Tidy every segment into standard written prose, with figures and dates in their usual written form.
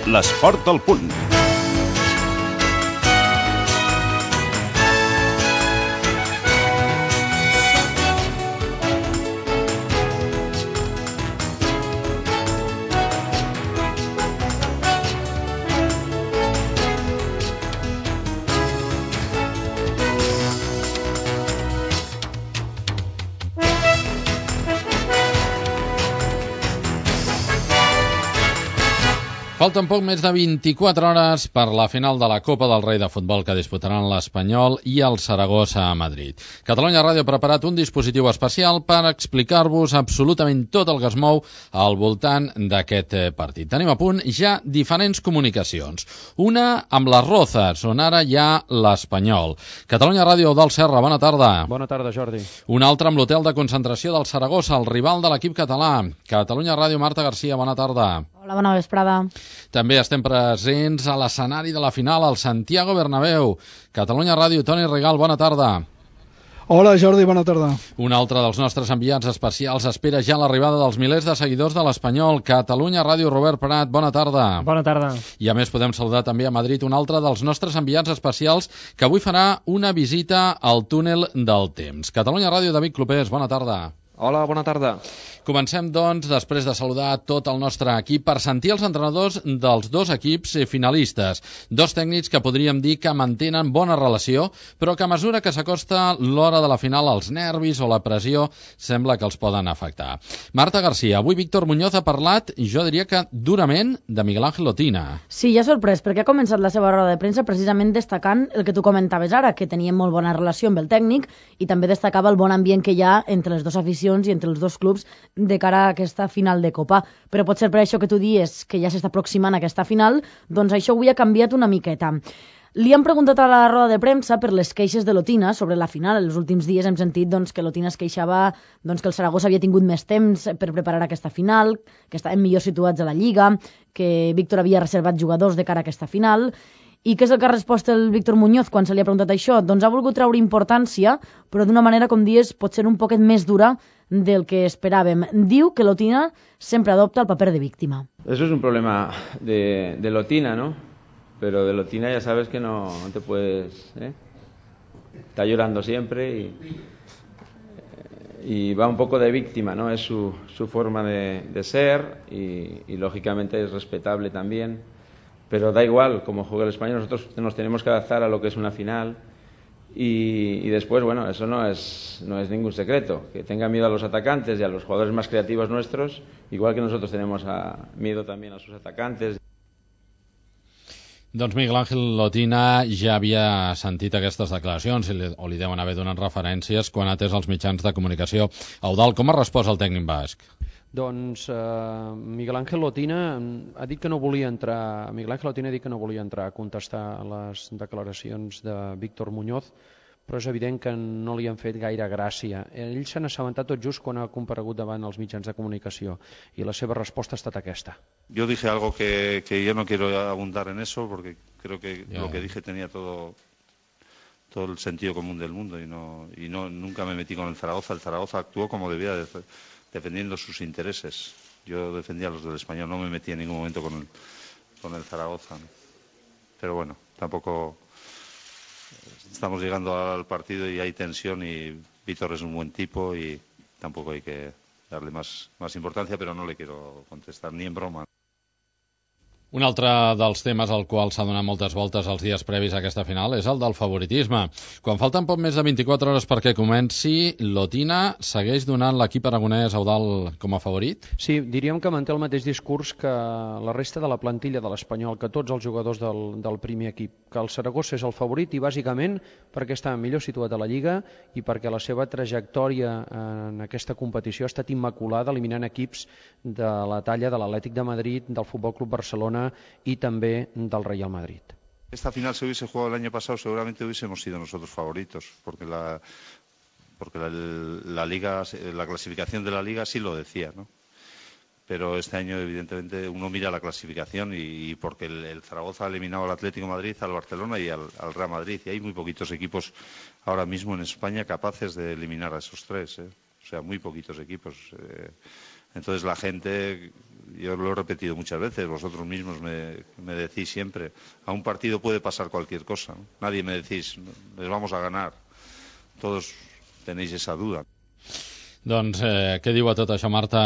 L'esport al punt. Falten poc més de 24 hores per la final de la Copa del Rei de Futbol que disputaran l'Espanyol i el Saragossa a Madrid. Catalunya Ràdio ha preparat un dispositiu especial per explicar-vos absolutament tot el que es mou al voltant d'aquest partit. Tenim a punt ja diferents comunicacions. Una amb les Rozas, on ara hi ha l'Espanyol. Catalunya Ràdio, Eudald Serra, bona tarda. Bona tarda, Jordi. Una altra amb l'hotel de concentració del Saragossa, el rival de l'equip català. Catalunya Ràdio, Marta Garcia, bona tarda. Hola, bona vesprada. També estem presents a l'escenari de la final, al Santiago Bernabéu. Catalunya Ràdio, Toni Regal, bona tarda. Hola, Jordi, bona tarda. Un altre dels nostres enviats especials espera ja l'arribada dels milers de seguidors de l'Espanyol. Catalunya Ràdio, Robert Prat, bona tarda. Bona tarda. I a més podem saludar també a Madrid un altre dels nostres enviats especials que avui farà una visita al túnel del temps. Catalunya Ràdio, David Clopés, bona tarda. Hola, bona tarda. Comencem, doncs, després de saludar tot el nostre equip, per sentir els entrenadors dels dos equips finalistes. Dos tècnics que podríem dir que mantenen bona relació, però que a mesura que s'acosta l'hora de la final, els nervis o la pressió sembla que els poden afectar. Marta Garcia, avui Víctor Muñoz ha parlat, jo diria que durament, de Miguel Ángel Otina. Sí, ja sorprès, perquè ha començat la seva roda de premsa precisament destacant el que tu comentaves ara, que tenien molt bona relació amb el tècnic i també destacava el bon ambient que hi ha entre les dues aficions i entre els dos clubs de cara a aquesta final de Copa. Però potser per això que tu dius que ja s'està aproximant aquesta final, doncs això avui ha canviat una miqueta. Li han preguntat a la roda de premsa per les queixes de l'Otina sobre la final. Els últims dies hem sentit que l'Otina es queixava que el Saragossa havia tingut més temps per preparar aquesta final, que estaven millor situats a la Lliga, que Víctor havia reservat jugadors de cara a aquesta final. I què és el que ha respost el Víctor Muñoz quan se li ha preguntat això? Doncs ha volgut treure importància, però d'una manera, com dius, potser un poquet més dura del que esperàvem. Diu que l'Otina sempre adopta el paper de víctima. Eso es un problema de l'Otina, ¿no? Pero de l'Otina ya sabes que no te puedes... Está llorando siempre y va un poco de víctima, ¿no? Es su forma de ser y lógicamente es respetable también. Pero da igual cómo juega el Español, nosotros nos tenemos que adaptar a lo que es una final y después, bueno, eso no es ningún secreto. Que tenga miedo a los atacantes y a los jugadores más creativos nuestros, igual que nosotros tenemos miedo también a sus atacantes. Doncs Miguel Ángel Otina ja havia sentit aquestes declaracions o li deuen haver donat referències quan ha atès els mitjans de comunicació. Eudald, com ha respost el tècnic basc? Doncs Miguel Ángel Otina ha dit que no volia entrar. Miguel Ángel Otina ha dit que no volia entrar a contestar les declaracions de Víctor Muñoz, però és evident que no li han fet gaire gràcia. Ell s'ha assabentat tot just quan ha comparegut davant els mitjans de comunicació i la seva resposta ha estat aquesta. Yo dije algo que yo no quiero abundar en eso porque creo que lo que dije tenía todo el sentido común del mundo y nunca me metí con el Zaragoza. El Zaragoza actuó como debía, defendiendo sus intereses. Yo defendía a los del Español, no me metí en ningún momento con el Zaragoza, ¿no? Pero bueno, tampoco estamos llegando al partido y hay tensión y Víctor es un buen tipo y tampoco hay que darle más importancia, pero no le quiero contestar ni en broma. Un altre dels temes al qual s'ha donat moltes voltes els dies previs a aquesta final és el del favoritisme. Quan falten poc més de 24 hores perquè comenci, l'Otina segueix donant l'equip aragonès Eudald com a favorit? Sí, diríem que manté el mateix discurs que la resta de la plantilla de l'Espanyol, que tots els jugadors del primer equip, que el Saragossa és el favorit i bàsicament perquè està millor situat a la Lliga i perquè la seva trajectòria en aquesta competició ha estat immaculada, eliminant equips de la talla de l'Atlètic de Madrid, del Futbol Club Barcelona y también del Real Madrid. Esta final se hubiese jugado el año pasado, seguramente hubiésemos sido nosotros favoritos, porque la liga, la clasificación de la liga sí lo decía, ¿no? Pero este año evidentemente uno mira la clasificación y porque el Zaragoza ha eliminado al Atlético de Madrid, al Barcelona y al Real Madrid, y hay muy poquitos equipos ahora mismo en España capaces de eliminar a esos tres, ¿eh? O sea, muy poquitos equipos. Entonces la gente, yo lo he repetido muchas veces, vosotros mismos me decís siempre, a un partido puede pasar cualquier cosa, ¿no? Nadie me decís, les vamos a ganar. Todos tenéis esa duda. Doncs què diu a tot això, Marta,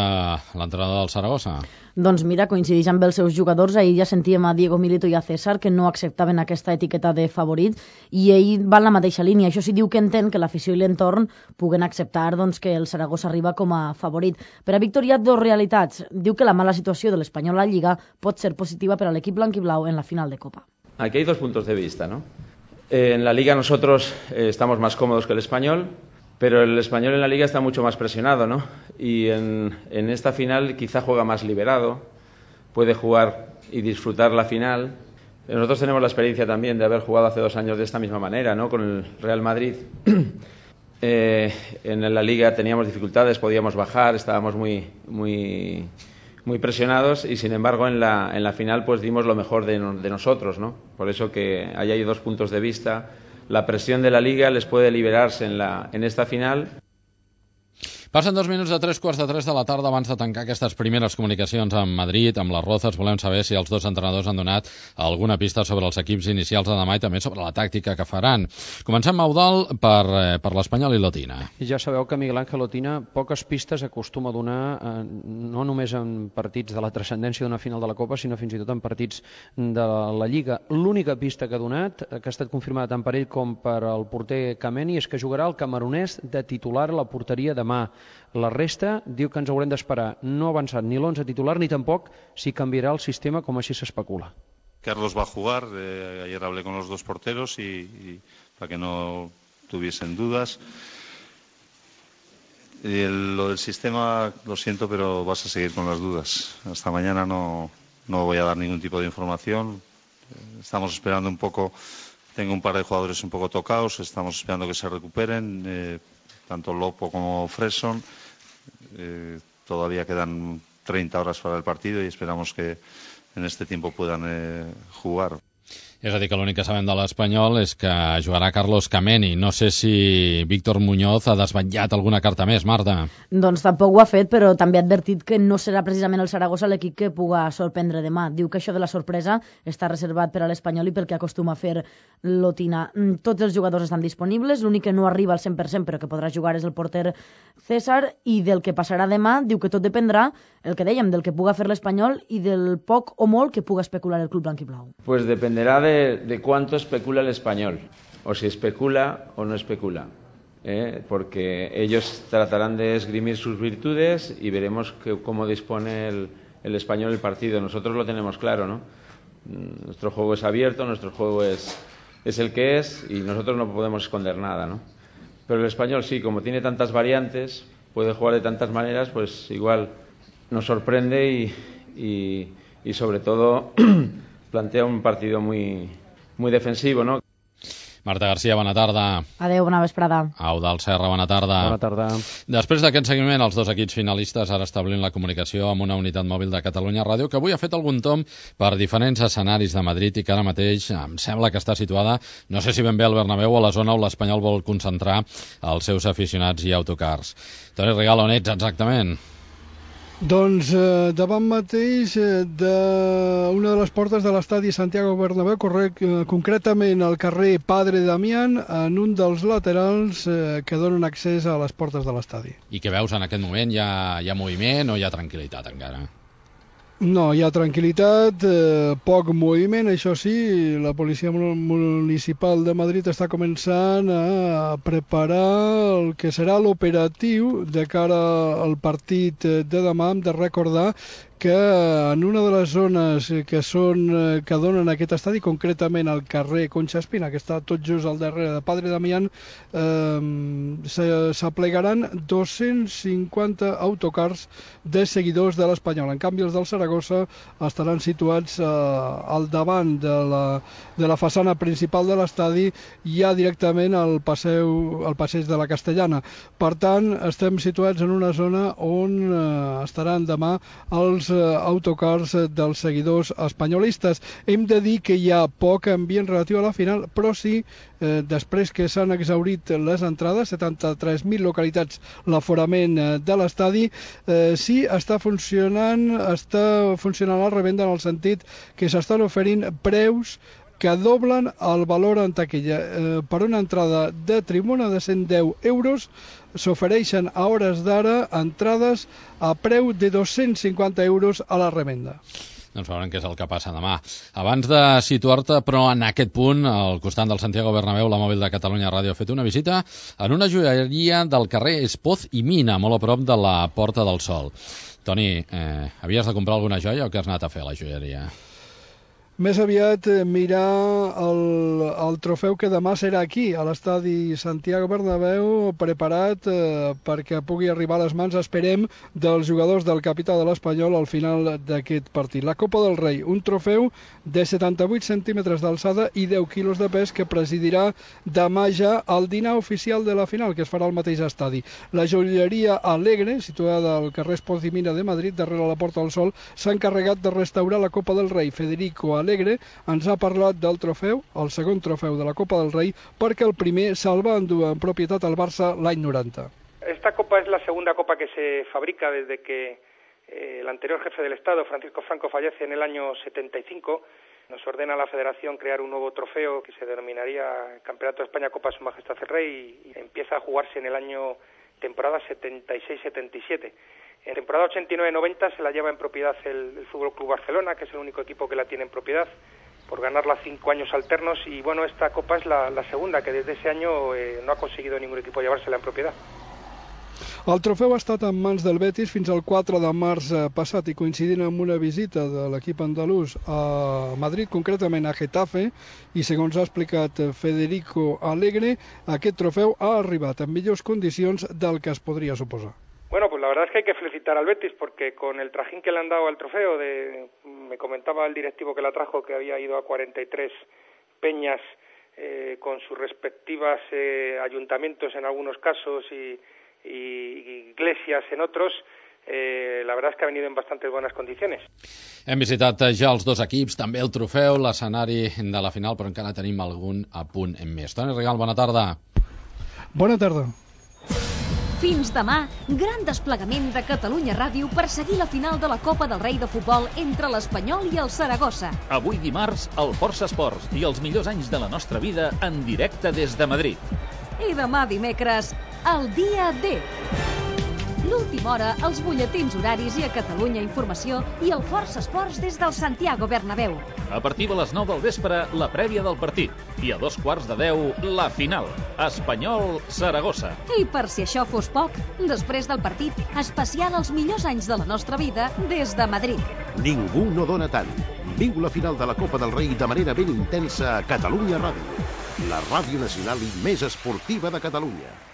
l'entrenador del Saragossa? Doncs mira, coincideix amb els seus jugadors. Ahir ja sentíem a Diego Milito i a César que no acceptaven aquesta etiqueta de favorit i ell va en la mateixa línia. Això sí, diu que entén que l'afició i l'entorn puguen acceptar doncs, que el Saragossa arriba com a favorit. Per a Víctor hi ha dues realitats. Diu que la mala situació de l'Espanyol a la Lliga pot ser positiva per a l'equip blanquiblau en la final de Copa. Aquí hay dos puntos de vista, ¿no? En la Liga nosotros estamos más cómodos que el Español, pero el Español en la Liga está mucho más presionado, ¿no? Y en esta final quizá juega más liberado, puede jugar y disfrutar la final. Nosotros tenemos la experiencia también de haber jugado hace 2 años de esta misma manera, ¿no? Con el Real Madrid. En la Liga teníamos dificultades, podíamos bajar, estábamos muy presionados y sin embargo en la final pues dimos lo mejor de nosotros, ¿no? Por eso que ahí hay dos puntos de vista. La presión de la Liga les puede liberarse en esta final. Passen 2 minuts de 3:45 de la tarda abans de tancar aquestes primeres comunicacions amb Madrid, amb les Rozas. Volem saber si els dos entrenadors han donat alguna pista sobre els equips inicials de demà i també sobre la tàctica que faran. Comencem, Eudald, per l'Espanyol i l'Otina. Ja sabeu que Miguel Ángel Otina poques pistes acostuma a donar, no només en partits de la transcendència d'una final de la Copa, sinó fins i tot en partits de la Lliga. L'única pista que ha donat, que ha estat confirmada tant per ell com per el porter Kameni, és que jugarà el camerunès de titular a la porteria demà. La resta diu que ens haurem d'esperar. No ha avançat ni l'11 titular ni tampoc si canviarà el sistema com així s'especula. Carlos va a jugar, ayer hablé con los dos porteros y para que no tuviesen dudas. Lo del sistema, lo siento, pero vas a seguir con las dudas. Hasta mañana no voy a dar ningún tipo de información. Estamos esperando un poco, tengo un par de jugadores un poco tocados, estamos esperando que se recuperen, tanto Lopo como Fresson. Todavía quedan 30 horas para el partido y esperamos que en este tiempo puedan jugar. És a dir, que l'únic que sabem de l'Espanyol és que jugarà Carlos Kameni. No sé si Víctor Muñoz ha desvetllat alguna carta més, Marta. Doncs tampoc ho ha fet, però també ha advertit que no serà precisament el Saragossa l'equip que puga sorprendre demà. Diu que això de la sorpresa està reservat per a l'Espanyol i pel que acostuma a fer l'Otina. Tots els jugadors estan disponibles, l'únic que no arriba al 100% però que podrà jugar és el porter César, i del que passarà demà diu que tot dependrà, el que dèiem, del que puga fer l'Espanyol i del poc o molt que puga especular el club blanquiblau. Pues dependerá de cuánto especula el Español, o si especula o no especula, porque ellos tratarán de esgrimir sus virtudes y veremos cómo dispone el Español el partido. Nosotros lo tenemos claro, ¿no? Nuestro juego es abierto, nuestro juego es el que es y nosotros no podemos esconder nada, ¿no? Pero el Español sí, como tiene tantas variantes, puede jugar de tantas maneras, pues igual nos sorprende y sobre todo plantea un partido muy defensivo, ¿no? Marta Garcia, bona tarda. Adéu, bona vesprada. Eudald Serra, bona tarda. Bona tarda. Després d'aquest seguiment, els dos equips finalistes ara establint la comunicació amb una unitat mòbil de Catalunya Ràdio que avui ha fet algun tomb per diferents escenaris de Madrid i que ara mateix em sembla que està situada, no sé si ben bé al Bernabéu o a la zona on l'Espanyol vol concentrar els seus aficionats i autocars. Toni Rigal, on ets exactament? Doncs davant mateix d'una de les portes de l'estadi Santiago Bernabéu, concretament al carrer Padre Damián, en un dels laterals que donen accés a les portes de l'estadi. I què veus en aquest moment? Hi ha moviment o hi ha tranquil·litat encara? No, hi ha tranquil·litat, poc moviment, això sí, la policia municipal de Madrid està començant a preparar el que serà l'operatiu de cara al partit de demà. Hem de recordar que en una de les zones que donen aquest estadi, concretament al carrer Concha Espina, que està tot just al darrere de Padre Damián, s'aplegaran 250 autocars de seguidors de l'Espanyol. En canvi, els del Saragossa estaran situats al davant de la façana principal de l'estadi, ja directament al passeig de la Castellana. Per tant, estem situats en una zona on estaran demà els autocars dels seguidors espanyolistes. Hem de dir que hi ha poc ambient relatiu a la final, però sí, després que s'han exhaurit les entrades, 73.000 localitats l'aforament de l'estadi, sí està funcionant la revenda en el sentit que s'estan oferint preus que doblen el valor en taquilla. Per una entrada de tribuna de 110 euros s'ofereixen a hores d'ara entrades a preu de 250 euros a la revenda. Doncs veurem què és el que passa demà. Abans de situar-te, però en aquest punt, al costat del Santiago Bernabéu, la mòbil de Catalunya Ràdio ha fet una visita en una joieria del carrer Espoz i Mina, molt a prop de la Porta del Sol. Toni, havies de comprar alguna joia o què has anat a fer a la joieria? Més aviat mirar el trofeu que demà serà aquí, a l'estadi Santiago Bernabéu, preparat perquè pugui arribar a les mans, esperem, dels jugadors del capità de l'Espanyol al final d'aquest partit. La Copa del Rei, un trofeu de 78 centímetres d'alçada i 10 quilos de pes que presidirà demà ja el dinar oficial de la final, que es farà al mateix estadi. La joieria Alegre, situada al carrer Espoz i Mina de Madrid, darrere la Porta del Sol, s'ha encarregat de restaurar la Copa del Rei. Federico Alegre ens ha parlat del trofeu, el segon trofeu de la Copa del Rei, perquè el primer se'l va endur en propietat al Barça l'any 90. Esta copa es la segunda copa que se fabrica desde que el anterior jefe del Estado, Francisco Franco, fallece en el año 75. Nos ordena la Federación crear un nuevo trofeo que se denominaría Campeonato de España Copa Su Majestad el Rey y empieza a jugarse en el año temporada 76-77. En temporada 89-90 se la lleva en propiedad el Fútbol Club Barcelona, que es el único equipo que la tiene en propiedad, por ganarla 5 años alternos. Y bueno, esta copa es la segunda, que desde ese año no ha conseguido ningún equipo llevársela en propiedad. El trofeu ha estat en mans del Betis fins al 4 de març passat i coincidint amb una visita de l'equip andalús a Madrid, concretament a Getafe, i segons ha explicat Federico Alegre, aquest trofeu ha arribat en millors condicions del que es podria suposar. Bueno, pues la verdad es que hay que felicitar al Betis porque con el trajín que le han dado al trofeo, me comentaba el directivo que la trajo que había ido a 43 peñas con sus respectivas ayuntamientos en algunos casos y iglesias en otros, la verdad es que ha venido en bastante buenas condiciones. Hem visitat ja els dos equips, també el trofeu, l'escenari de la final, però encara tenim algun apunt en més. Toni Regal, bona tarda. Bona tarda. Fins demà, gran desplegament de Catalunya Ràdio per seguir la final de la Copa del Rei de Futbol entre l'Espanyol i el Saragossa. Avui dimarts, el Força Esports i els millors anys de la nostra vida en directe des de Madrid. I demà dimecres, el dia D. L'última hora, els butlletins horaris i a Catalunya Informació i el Força Esports des del Santiago Bernabéu. A partir de les 9 del vespre, la prèvia del partit. I a 9:45, la final. Espanyol-Saragossa. I per si això fos poc, després del partit, especial els millors anys de la nostra vida des de Madrid. Ningú no dona tant. Viu la final de la Copa del Rei de manera ben intensa a Catalunya Ràdio. La ràdio nacional i més esportiva de Catalunya.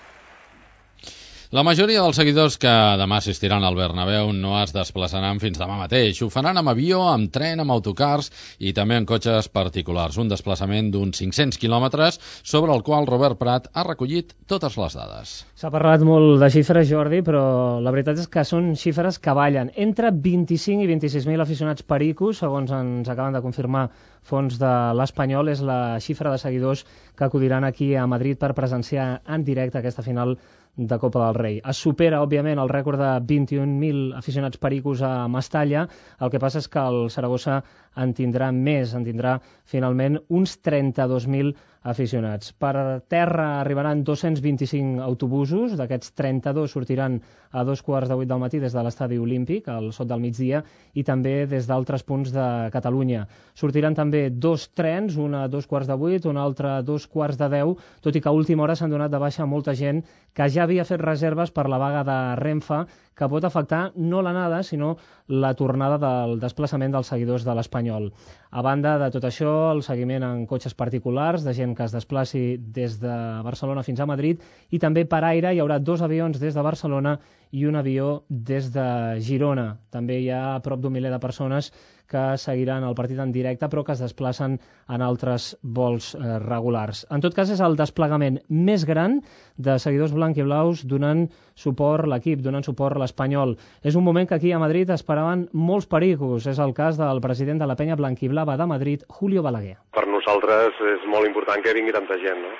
La majoria dels seguidors que demà assistiran al Bernabéu no es desplaçaran fins demà mateix. Ho faran amb avió, amb tren, amb autocars i també en cotxes particulars. Un desplaçament d'uns 500 quilòmetres sobre el qual Robert Prat ha recollit totes les dades. S'ha parlat molt de xifres, Jordi, però la veritat és que són xifres que ballen. Entre 25 i 26.000 aficionats pericos, segons ens acaben de confirmar fons de l'Espanyol, és la xifra de seguidors que acudiran aquí a Madrid per presenciar en directe aquesta final de Copa del Rei. Es supera, òbviament, el rècord de 21.000 aficionats pericos a Mestalla. El que passa és que el Saragossa en tindrà més, en tindrà finalment uns 32.000 aficionats. Per terra arribaran 225 autobusos, d'aquests 32 sortiran a 2:15 del matí des de l'Estadi Olímpic, al sot del migdia, i també des d'altres punts de Catalunya. Sortiran també 2 trens, un a 2:15, un altre a 2:10, tot i que a última hora s'han donat de baixa molta gent que ja havia fet reserves per la vaga de Renfe, que pot afectar no l'anada, sinó la tornada del desplaçament dels seguidors de l'Espanyol. A banda de tot això, el seguiment en cotxes particulars, de gent que es desplaci des de Barcelona fins a Madrid, i també per aire hi haurà 2 avions des de Barcelona i un avió des de Girona. També hi ha prop d'1 miler de persones que seguiran el partit en directe, però que es desplacen en altres vols regulars. En tot cas, és el desplegament més gran de seguidors blanc-i-blaus donant suport a l'equip, donant suport a l'Espanyol. És un moment que aquí a Madrid esperaven molts pericos. És el cas del president de la penya blanquiblava de Madrid, Julio Balaguer. Per nosaltres és molt important que vingui tanta gent, no?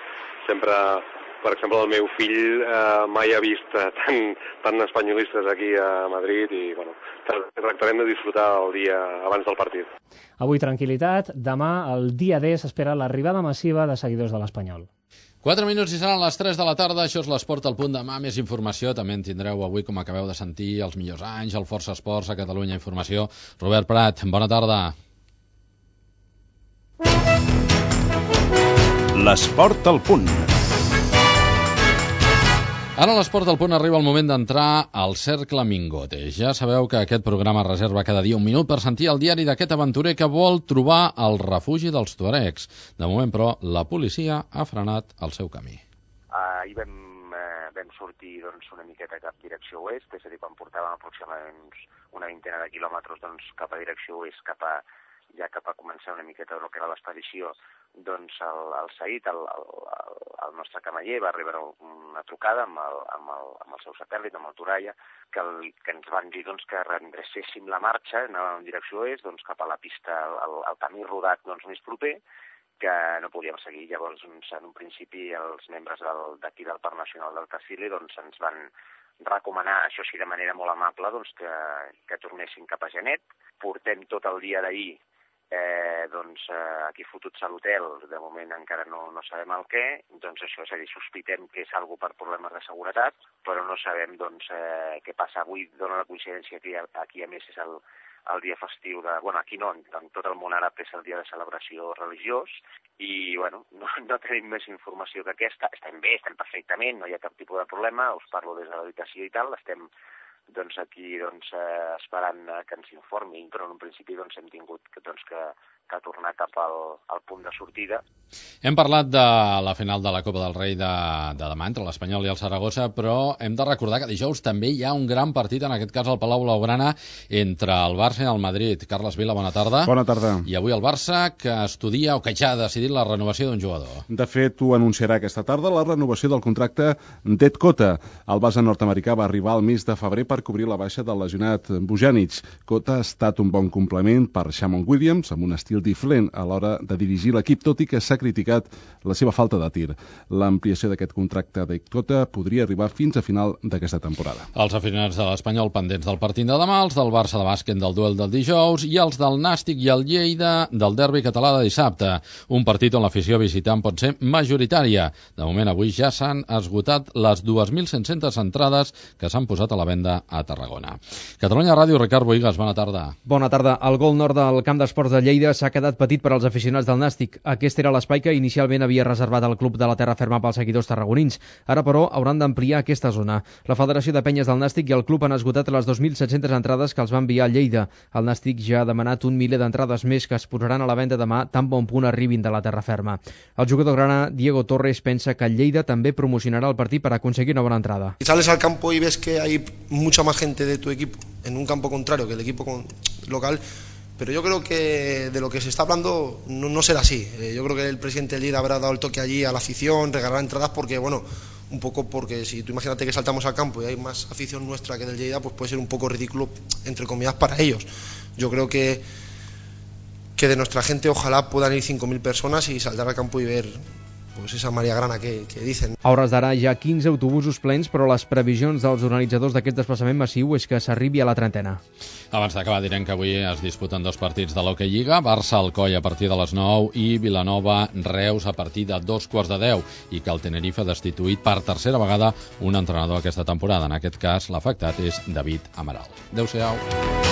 Sempre, per exemple, el meu fill mai ha vist tant espanyolistes aquí a Madrid i, bueno, tractarem de disfrutar el dia abans del partit. Avui tranquil·litat, demà, el dia D, s'espera l'arribada massiva de seguidors de l'Espanyol. 4 minuts i seran les 3 de la tarda, això és l'Esport al punt. Demà més informació, també en tindreu avui, com acabeu de sentir, els millors anys, el Força Esports, a Catalunya Informació. Robert Prat, bona tarda. L'Esport al punt. Ara a l'Esport al punt arriba el moment d'entrar al Cercle Mingote. Ja sabeu que aquest programa reserva cada dia un minut per sentir el diari d'aquest aventurer que vol trobar el refugi dels tuaregs. De moment, però, la policia ha frenat el seu camí. Ahir vam sortir una miqueta cap direcció oest, és a dir, quan portàvem aproximadament una vintena de quilòmetres cap a direcció oest, cap a començar una miqueta el que era l'expedició, el Said, el nostre camaller, va rebre una trucada amb el seu satèl·lit, amb el Toralla, que ens van dir que redrecéssim la marxa, anàvem en direcció oest, cap a la pista, el camí rodat més proper, que no podíem seguir. Llavors, en un principi, els membres d'aquí del Parc Nacional del Tassili ens van recomanar, això sí de manera molt amable, que tornessin cap a Genet. Portem tot el dia d'ahir aquí fotuts a l'hotel, de moment encara no sabem el què, això, és a dir, sospitem que és algo per problemes de seguretat, però no sabem què passa avui. Dóna la coincidència que aquí a més és el dia festiu aquí no, en tot el món àrab és el dia de celebració religiós i no tenim més informació que aquesta. Estem bé, estem perfectament, no hi ha cap tipus de problema, us parlo des de l'habitació i tal, estem aquí esperant que ens informin, però en un principi hem tingut que tornar cap al punt de sortida. Hem parlat de la final de la Copa del Rei de demà entre l'Espanyol i el Saragossa, però hem de recordar que dijous també hi ha un gran partit, en aquest cas al Palau Blaugrana, entre el Barça i el Madrid. Carles Vila, bona tarda. Bona tarda. I avui el Barça que estudia o que ja ha decidit la renovació d'un jugador. De fet, ho anunciarà aquesta tarda la renovació del contracte d'Ed Cota. El base nord-americà va arribar al mes de febrer per cobrir la baixa del lesionat Bojanic. Cota ha estat un bon complement per Shamon Williams, amb un estil diferent a l'hora de dirigir l'equip, tot i que s'ha criticat la seva falta de tir. L'ampliació d'aquest contracte d'Ed Cota podria arribar fins a final d'aquesta temporada. Els aficionats de l'Espanyol pendents del partit de demà, els del Barça de bàsquet del duel del dijous i els del Nàstic i el Lleida del derbi català de dissabte. Un partit on l'afició visitant pot ser majoritària. De moment, avui ja s'han esgotat les 2.500 entrades que s'han posat a la venda a Tarragona. Catalunya Ràdio, Ricard Boigas, bona tarda. Bona tarda. El gol nord del camp d'esports de Lleida s'ha quedat petit per als aficionats del Nàstic. Aquest era l'espai que inicialment havia reservat el club de la Terra Ferma pels seguidors tarragonins. Ara, però, hauran d'ampliar aquesta zona. La Federació de Penyes del Nàstic i el club han esgotat les 2.700 entrades que els va enviar a Lleida. El Nàstic ja ha demanat un miler d'entrades més que es posaran a la venda demà, tan bon punt arribin de la Terra Ferma. El jugador grana, Diego Torres, pensa que Lleida també promocionarà el partit per aconseguir una bona entrada. Y sales al campo y ves que hay mucha más gente de tu equipo en un campo contrario que el equipo local. Pero yo creo que de lo que se está hablando no será así. Yo creo que el presidente del Lleida habrá dado el toque allí a la afición, regalar entradas porque, un poco porque si tú imagínate que saltamos al campo y hay más afición nuestra que del Lleida, pues puede ser un poco ridículo, entre comillas, para ellos. Yo creo que de nuestra gente ojalá puedan ir 5.000 personas y saltar al campo y ver esa Maria Grana que dicen. A hores d'ara hi ha 15 autobusos plens, però les previsions dels organitzadors d'aquest desplaçament massiu és que s'arribi a la trentena. Abans d'acabar direm que avui es disputen dos partits de l'Hockey Lliga, Barça-Alcoi a partir de les 9 i Vilanova-Reus a partir de 9:15 i que el Tenerife ha destituït per tercera vegada un entrenador aquesta temporada. En aquest cas l'afectat és David Amaral. Adéu-siau.